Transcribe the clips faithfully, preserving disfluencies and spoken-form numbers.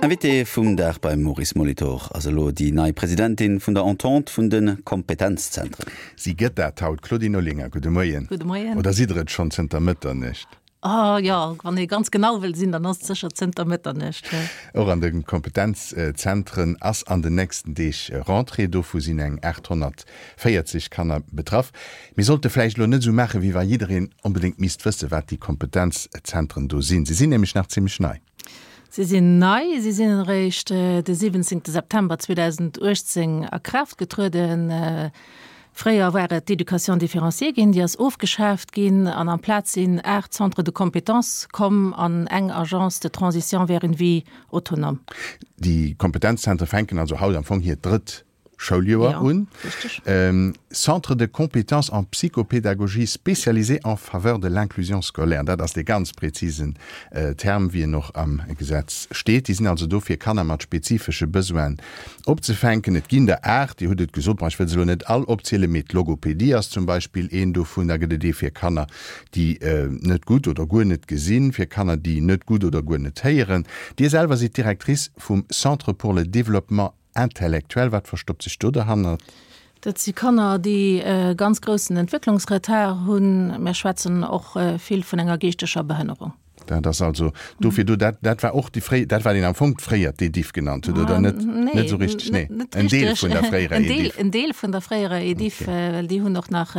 Invitée vum Dag beim Maurice Molitor ass elo déi nei Presidentin vun der Entente vun de Kompetenzzentren. Si gëtt dat haut, Claudine Olinger, gudde Moien. Gudde Moien. Oder sidd Der et schonn zënter Mëtternuecht? Oh jo, wann ee ganz genau wëll sinn, dann ass et sécher zënter Mëtternuecht, jo. Och an de Kompetenzzentren ass an den nächsten Deeg Rentrée. Dovu sinn eng aathonnertvéierzeg Kanner betraff. Mir sollte vläicht elo net esou maachen, wéi wa jiddereen onbedéngt misst wëssen, wat déi Kompetenzzentren do sinn. Se sinn nämlech nach zimmlech nei. Se sinn nei, se sinn eréischt de siwwenzéngte September zweedausenduechtzéng a Kraaft getrueden. Fréier war et d'Éducation différenciée ginn, déi ass ofgeschaaft ginn an amplaz sinn aacht Centres de compétences komm an eng Agence de transition vers une vie autonome. Déi Kompetenzzentre fänken also haut am Fong hiert drëtt Schouljoer un. Centre de compétences en psychopédagogie spécialisé en faveur de l'inclusion scolaire, dat ass dee ganz präzisen Term, wéi en och am Gesetz steet. Déi sinn also do, fir Kanner mat spezifesche Besoinen opzefänken. Et ginn der aacht, Dir hutt et gesot, bon, ech wëll se elo net all opzielen, mee d'Logopedie ass zum Beispill een dovun. Da gëtt et ee fir Kanner, déi net gutt oder guer net gesinn, fir Kanner, déi net gutt oder guer net héieren. Dir selwer sidd Directrice vum Centre pour le développement intellectuel. Wat verstoppt sech do derhannert? Dat si Kanner, déi e ganz groussen Entwécklungsretard hunn. Mir schwätzen och vill vun enger geeschteger Behënnerung. Dat ass also dofir do. Dat, dat war och déi fréi, dat wat een am Fong fréier d'EDIFF genannt huet, oder net? Nee, net esou richteg, nee. Net En Deel richteg. vun der fréierer En Deel, EDIFF. en Deel vun der fréierer EDIFF, Okay. well déi hunn och nach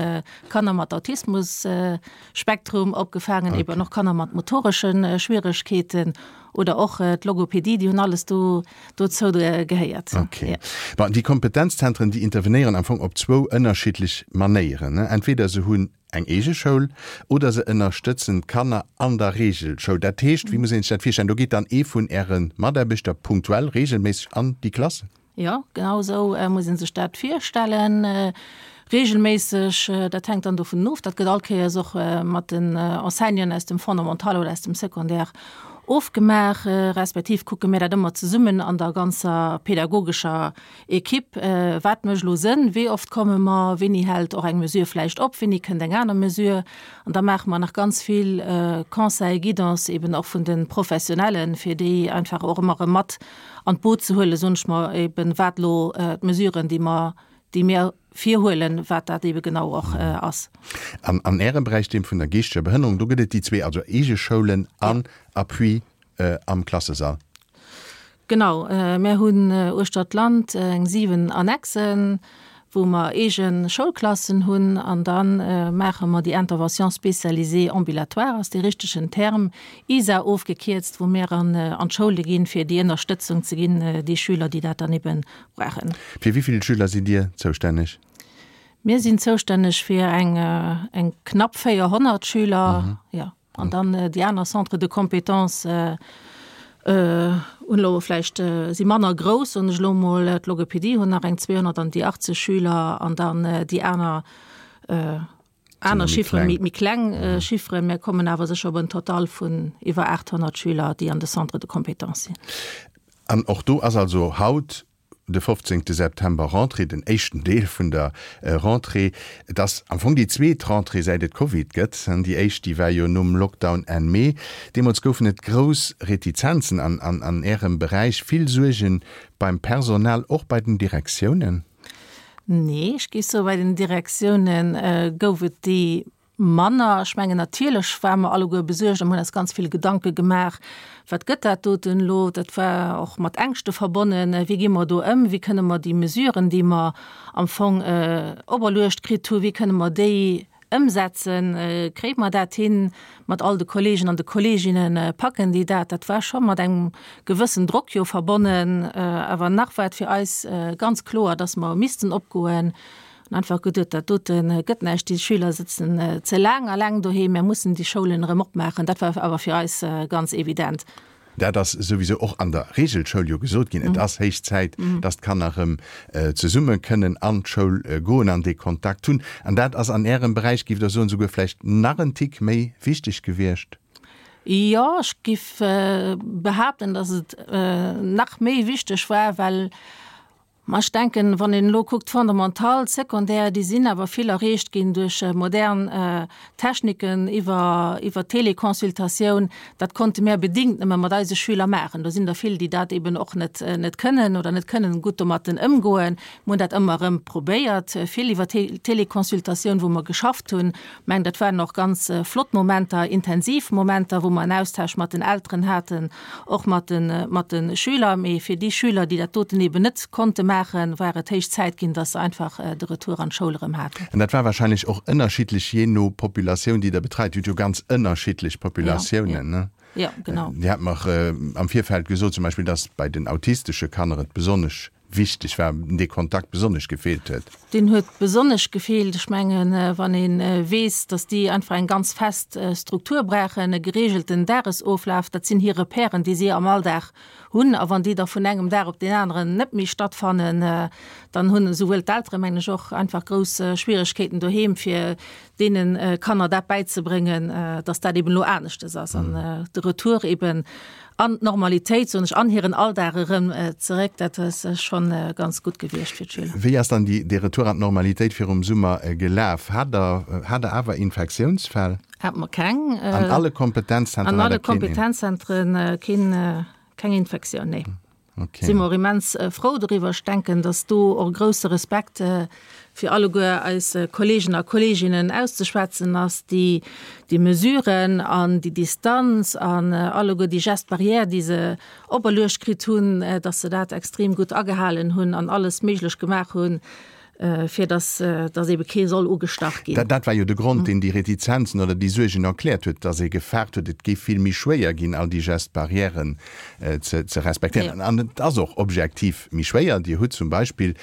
Kanner mat Autismus-Spektrum opgefaangen, Okay. eben och Kanner mat motoresche Schwieregkeeten oder och d'Logopedie, déi hunn alles do dozou gehéiert. Okay. Ja. Bon, déi Kompetenzzentren, déi intervenéieren am Fong op zwou ënnerschiddlech Manéieren, ne? Entweder se hunn eng eege Schoul oder se ënnerstëtzen d'Kanner an der Reegelschoul. Dat heescht, wéi muss een sech dat virstellen? Do geet dann ee vun Äre Mataarbechter punktuell, reegelméisseg an déi Klassen? Jo, genau esou muss ee sech dat virstellen. Reegelméisseg, dat hänkt dann dovun of, dat gëtt all Kéiers och mat den Enseignanten aus dem Fondamental oder aus dem Secondaire ofgemaach, respektiv kucke mir dat ëmmer zesummen an der ganzer pädagogescher Equipe, wat mécht elo Sënn, wéi oft komme mer, wéini hält och eng Mesure vläicht op, wéini kënnt eng aner Mesure. An da maache mer nach ganz vill Conseil, Guidance eben och vun de Professionellen, fir déi einfach och ëmmer erëm mat an d'Boot ze huelen, soen ech mer, eben wat elo d'Mesuren, déi mer, déi mir virhuelen, wat dat ebe genau och ass. An an Ärem Beräich, deem vun der geeschteger Behënnerung, do gëtt et déi zwee, also eege Schoulen an Appui am Klassesall. Genau, mär hunn uechter d'Land eng siwen Annexen, wou mer eege Schoulklassen hunn an da maache mer déi Intervention spécialisée ambulatoire, ass dee richtegen Term, ISA ofgekierzt, wou mär an d'Schoule ginn, fir déi Ënnerstëtzung ze ginn, déi Schüler, déi dat dann ebe brauchen. Fir wéi vill Schüler sidd Dir zoustänneg? Mir sinn zoustänneg fir eng eng knapp véierhonnert Schüler, jo. An dann déi aner Centres de compétences hunn elo vläicht, si manner grouss, soen ech elo emol. D'Logopedie hunn nach eng zweehonnert an déi achtzeg Schüler an dann déi aner aner Chifferen, méi kleng Chifferen. Mir kommen awer sécher op en Total vun iwwer aathonnert Schüler, déi an de Centres de compétences sinn. An och do ass also haut, de fofzéngte September, Rentrée, den éischten Deel vun der Rentrée. Et ass am Fong déi zweet Rentrée, säit et Covid gëtt. Déi éischt, déi war jo nom Lockdown Enn Mee. Deemools goufen et grouss Retizenzen an an Ärem Beräich, vill Suerge beim Personal, och bei den Direktiounen? Nee, ech géif soen, bei den Direktioune gouf et déi manner. Ech mengen, natierlech ware mer alleguer besuergt a mir hunn eis ganz vill Gedanke gemaach, Wat gëtt dat doten elo? Dat war och mat Ängschte verbonnen. Wéi gi mer do ëm? Wéi kënne mer déi Mesuren, déi mer am Fong operluecht kritt hu, wéi kënne mer déi ëmsetzen? Kréie mer dat hin mat all de Kollegen an de Kolleginnen? Packen déi dat? Dat war scho mat engem gewëssen Drock jo verbonnen. Awer nach war et fir eis ganz kloer, dass mer missten opgoen. An einfach geduet, dat dote gëtt näischt, déi Schüler sëtzen ze laang alleng doheem, mär mussen déi Schoulen erëm opmaachen. Dat war awer fir eis ganz evident. Dat ass souwisou och an der Reegelschoul jo gesot ginn, et ass héich Zäit, dass d'Kanner erëm zesumme kënnen an d'Schoul goen an dee Kontakt hunn. An dat ass an Ärem Beräich, géift Der soen, souguer vläicht nach en Tick méi wichteg gewiescht? Jo, ech géif behaapten, dass et nach méi wichteg war, well Ma ech denken, wann een elo kuckt, Fondamental, Secondaire, déi sinn awer vill erreecht ginn duerch modern Techniken iwwer, iwwer Teleconsultatioun. Dat konnte mär bedingt nëmme mat eise Schüler maachen. Do sinn der vill, déi dat eben och net, net kënnen oder net kënnen gutt domatten ëmgoen. Mir hunn dat ëmmer erëm probéiert, vill iwwer Teleconsultatioun, wou mer geschafft hunn. Ech mengen, dat waren och ganz flott Momenter, intensiv Momenter, wou mer en Austausch mat den Elteren haten, och mat de, mat de Schüler. Mee fir déi Schüler, déi dat doten eben net konnte maachen, war et héich Zäit ginn, dass se einfach de Retour an d'Schoul erëm haten. An dat war wahrscheinlech och ënnerschiddlech jee no Populatioun, déi Der betreit. Dir hutt jo ganz ënnerschiddlech Populatiounen, ne? Jo, genau. Dir hat mer am Virfeld gesot zum Beispill, dass bei den autistesche Kanner et besonnesch wichteg war, dee Kontakt besonnesch gefeelt huet. Deen huet besonnesch gefeelt. Ech mengen, wann ee weess, dass déi einfach eng ganz fest Struktur brauchen, e geregelten Dagesoflaf, dat sinn hir Repèren, déi si am Alldag hunn. A wann déi da vun engem Dag op deen aneren net méi stattfannen, dann hunn esouwuel d'Eltere, mengen ech, och einfach grouss Schwieregkeeten doheem, fir deene Kanner dat bäizebréngen, dass dat eben elo aneschtes ass an de Retour eben an d'Normalitéit, soen ech, an hiren Alldag erëm zeréck, dat ass schonn ganz gutt gewiescht fir d'Schüler. Wéi ass dann dee Retour an d'Normalitéit virum Summer gelaf? Hat Der, hat Der awer Infektiounsfäll? Hate mer keng. An alle Kompetenzzentren hat Der keen? An alle Kompetenzzentren keen, keng Infektioun, nee. Okay. Si mer och immens frou doriwwer. Ech denken, dass do och e grousse Respekt fir alleguer eis Kolleegen a Kolleeginnen auszeschwätzen ass, déi déi Mesuren an déi Distanz an alleguer déi Gestes barrières, déi se operluecht kritt hunn, dass se dat extrem gutt agehalen hunn an alles méiglech gemaach hunn, fir dass, dass ebe kee soll ugestach ginn. Dat war jo de Grond, deen déi Retizenzen oder déi Suergen erkläert huet, dass ee gefaart huet, et géif vill méi schwéier ginn, all déi Gestes barrièren ze, ze respektéieren. An et ass och objektiv méi schwéier. Dir hutt zum Beispill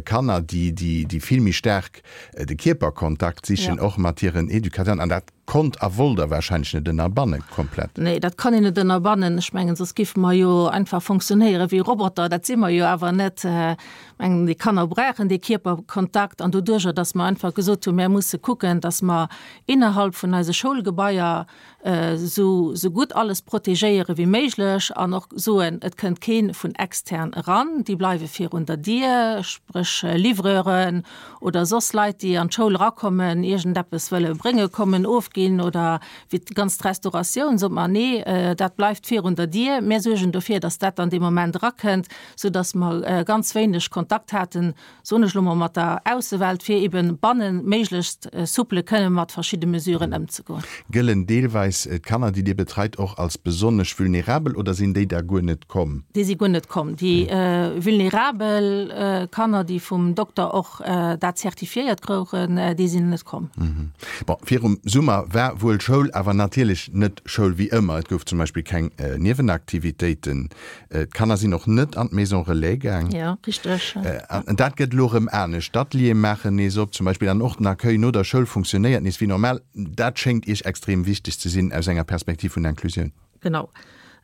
Kanner, déi, déi, déi vill méi staark de Kierperkontakt sichen, och mat hiren Educateuren. An dat konnt a wollt Der wahrscheinlech net ënnerbanne komplett. Nee, dat kann een net ënnerbannen. Ech mengen, soss géife mer jo einfach fonctionnéiere wéi Roboter. Dat si mer jo awer net. Ech mengen, déi Kanner brauchen dee Kierperkontakt. An doduerjer, datt mer einfach gesot hunn, mär musse kucken, datt mer innerhalb vun eise Schoulgebaier esou esou gutt alles protegéiere wéi méiglech an och soen, et kënnt kee vun extern eran, déi bleiwe virun der Dier, spréch Livreuren oder soss Leit, déi an d'Schoul erakommen, iergendeppes wëlle brénge kommen, ofginn oder wéi d'ganz Restauratioun, sot mer, nee, dat bleift virun der Dier, mir suergen dofir, datt dat dann dee Moment erakënnt, soudatt mer ganz wéineg Kontakt haten, soen ech elo mol, mat der Aussewelt, fir eben bannen méiglechst souple kënne mat verschidde Mesuren ëmzegoen. Gëllen deelweis d'Kanner, déi Dir betreit, och als besonnesch vulnerabel oder sinn déi da guer net komm? Déi si guer net komm. Déi vulnerabel Kanner, déi vum Dokter och dat zertifiéiert krouchen, déi sinn net komm. Bon, virum Summer war wuel Schoul, awer natierlech net Schoul wéi ëmmer. Et gouf zum Beispill keng Niewenaktivitéiten. D'Kanner sinn och net an d'Maison Relais gaang. Jo, richteg. An dat gëtt elo erëm anescht. D'Ateliere maachen nees op zum Beispill an och den Accueil no der Schoul funktionéiert nees wéi normal. Dat schéngt Iech extrem wichteg ze sinn aus enger Perspektiv vun Inclusioun. Genau.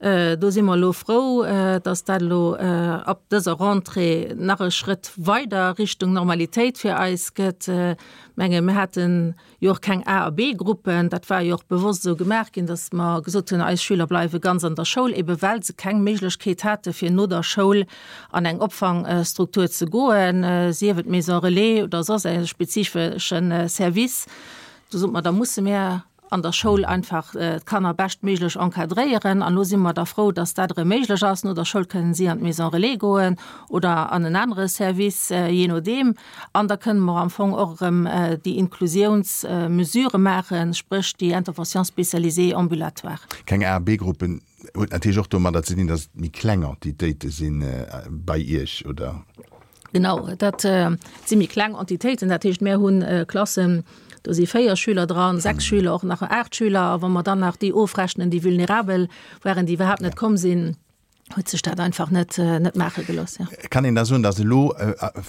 Do si mer elo frou, dass dat elo ab dëser Rentrée nach e Schrëtt weider Richtung Normalitéit fir eis gëtt. Ech menge mir haten jo och keng A a B-Gruppen. Dat war jo och bewosst esou gemaach ginn, dass mer gesot hunn, eis Schüler bleiwe ganz an der Schoul, ebe well se keng Méiglechkeet hate fir no der Schoul an eng Opfangstruktur ze goen, sief et Maison relais oder soss e spezifesche Service. Do sote mer, da musse mir an der Schoul einfach d'Kanner beschtméiglech encadréieren. An elo si mer da frou, dass dat erëm méiglech ass. No der Schoul kënnen si an d'Maison relais goen oder an en anere Service, jee nodeem. An da kënnen mer am Fong och erëm déi Inklusiounsmesurë maachen, spréch déi Intervention spécialisée ambulatoire. Keng A a B-Gruppen huet natierlech och domadder ze dinn, dass et méi kleng Entitéite si bei Iech, oder? Genau, dat si méi kleng Entitéiten. Dat heescht, mir hu Klassen, do si véier Schüler dran, sechs Schüler, och nach aacht Schüler. A wa mer dann nach déi ofrechnen, déi vulnerabel waren, déi iwwerhaapt net komm sinn, huet sech dat einfach net net maache gelooss. Jo. Kann een da soen, datt elo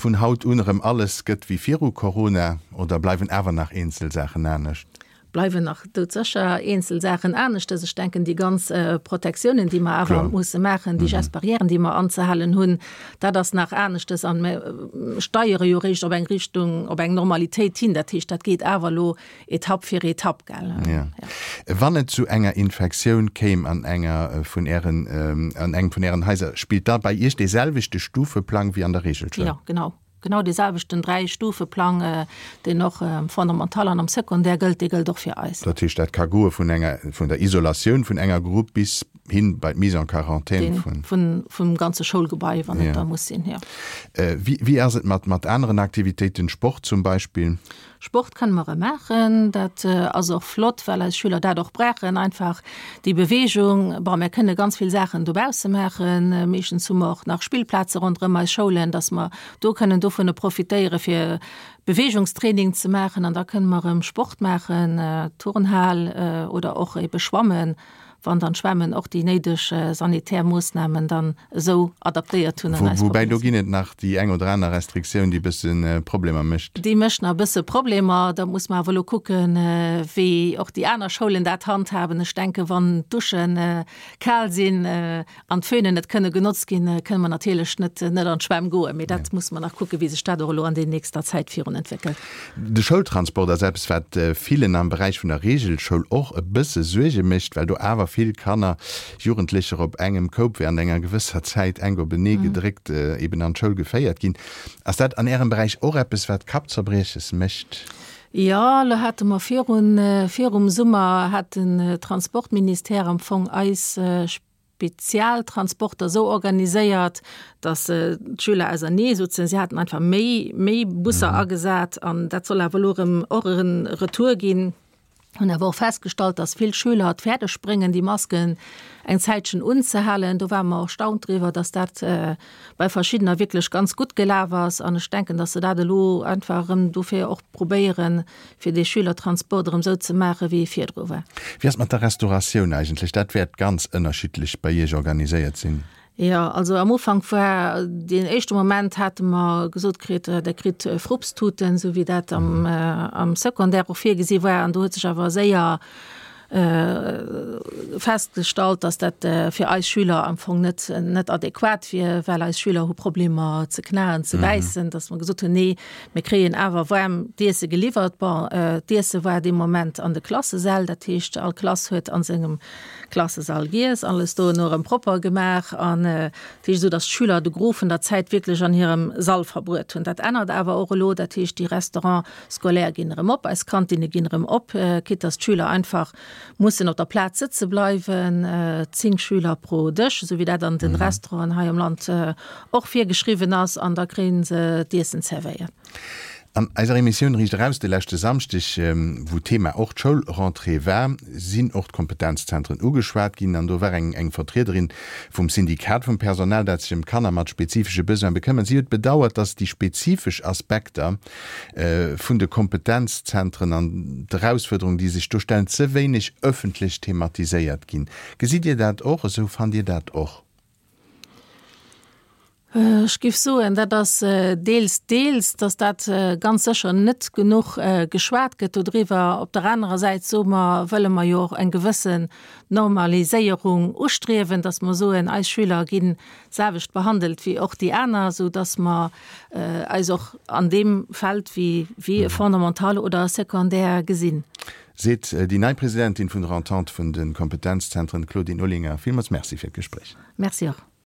vun haut un erëm alles gëtt wéi viru Corona oder bleiwen awer nach eenzel Saachen anescht? Bleiwen nach doudsécher eenzel Saachen aneschtes. Ech denken, déi ganz Protektiounen, déi mer awer musse maachen, déi Gestes barrières, déi mer anzehalen hunn, dat ass nach aneschtes. An mer steiere jo eréischt op eng Richtung, op eng Normalitéit hin. Dat heescht, dat geet awer elo Etapp fir Etapp, gell. Jo. Wann et zu enger Infektioun kéim an enger vun Ären, an engem vun Ären Haiser, spillt da bei Iech dee selwechte Stufeplang wéi an der Reegelschoul? Jo, genau. Genau dee selwechten Dräi-Stufe-Plang, deen och am Fondamental an am Secondaire gëllt, dee gëllt och fir eis. Dat heescht, dat ka goe vun enger, vun der Isolatioun vun enger Grupp bis hin bei d'Mise en quarantaine vun. Vun, vum ganze Schoulgebai, wann et da muss sinn, jo. Wéi, wéi ass et mat, mat aneren Aktivitéiten, Sport zum Beispill? Sport kënne mer erëm maachen. Dat ass och flott, well eis Schüler dat och brauchen, einfach déi Beweegung. Bon, mir kënne ganz vill Saachen dobausse maachen. Meeschtens hu mer och nach Spillplaze ronderëm eis Schoulen, dass mer do kënnen dovunner profitéiere fir Beweegungstraining ze maachen. An da kënne mer erëm Sport maachen, Turnhal oder och ebe schwammen. wann dann d'Schwämmen och déi néideg sanitär Moossnamen dann esou adaptéiert hunn an eis Woubäi do ginn et nach déi eng oder aner Restriktioun, déi e bësse Problemer mécht. Déi mécht nach e bësse Problemer. Da muss mer awer elo kucken, wéi och déi aner Schoulen dat handhaben. Ech denken, wann d'Dusche kal sinn an d'Föhnen net kënne genotzt ginn, kënne mer natierlech net net an d'Schwämm goen. Mee dat muss mer nach kucken, wéi sech dat och elo an der nächster Zäit virun entwéckelt. De Schoultransport ass eppes, wat villen am Beräich vun der Reegelschoul och e bësse Suerge mécht, well do awer vill Kanner, Jugendlecher op engem Koup während enger gewësser Zäit enk openee gedréckt eben an d'Schoul geféiert ginn. Ass dat an Ärem Beräich och eppes, wat Kappzerbrieches mécht? Jo, elo hate mer virun, virum Summer hat den Transportministère am Fong eis Spezialtransporter esou organiséiert, datt d'Schüler ausernee souzen. Si haten einfach méi, méi Busser agesat an dat soll awer elo erëm och e Retour ginn. Hunn awer och festgestallt, dass vill Schüler et fäerdeg bréngen, déi Masken eng Zäitchen unzehalen. Do ware mer erstaunt driwwer, dass dat bei verschiddener wierklech ganz gutt gelaf ass. An ech denken, dass se dat elo einfach erëm dofir och probéieren, fir dee Schülertransport erëm esou ze maachen, wéi e virdru war. Wéi ass et mat der Restauratioun eigentlech? Dat wäert ganz ënnerschiddlech bei Iech organiséiert sinn. Jo, also am Ufank war deen éischte Moment hate mer gesot kritt, Der kritt Frupstuten, esou wéi dat am, am Secondaire och virgesi war. An do huet sech awer séier festgestallt, dass dat fir eis Schüler am Fong net, net adequat wier, well eis Schüler hu Problemer ze knaen, ze bäissen, dass mer gesot hunn, nee, mir kréien awer waarm d'Iesse geliwwert. Bon, d'Iesse war dee Moment an de Klassesäll, dat heescht all Klass huet a sengem Klassesall giess, alles dono erëm propper gemaach an dat heescht esou, datt d'Schüler de Gros vun der Zäit wierklech an hirem Sall verbruet hunn. Dat ännert awer och elo, dat heescht déi Restaurants scolaires ginn erëm op, eis Kantinne ginn erëm op, quitte datt d'Schüler einfach mussen op der Plaz sëtze bleiwen, zéng Schüler pro Dësch, esou wéi dat an de Restauranten hei am Land och virgeschriwwen ass, an da kréie se d'Iessen zerwéiert. An eiser Emissioun Riicht Eraus de leschte Samschdeg, wou d'Thema och d'Schoulrentrée war, sinn och d'Kompetenzzentren ugeschwat ginn. An do war eng eng Vertriederin vum Syndikat vum Personal, dat sech ëm Kanner mat spezifesche Besoine bekëmmert. Si huet bedauert, datt déi spezifesch Aspekter vun de Kompetenzzentren an d'Erausfuerderungen, déi sech do stellen, ze wéineg ëffentlech thematiséiert ginn. Gesitt Dir dat och esou? Fannt Dir dat och? Ech géif soen, dat ass deels, deels, datt dat ganz sécher net genuch geschwat gëtt dodriwwer. Op der anerer Säit soe mer, wëlle mer jo och eng gewëssen Normaliséierung ustriewen, datt mer soen, eis Schüler ginn d'selwecht behandelt wéi och déi aner, esou datt mer eis och an deem Feld wéi wéi e Fondamental oder e Secondaire gesinn. Seet déi nei Presidentin vun der Entente vun de Kompetenzzentren, Claudine Olinger. Villmools Merci fir d'Gespréich. Merci och.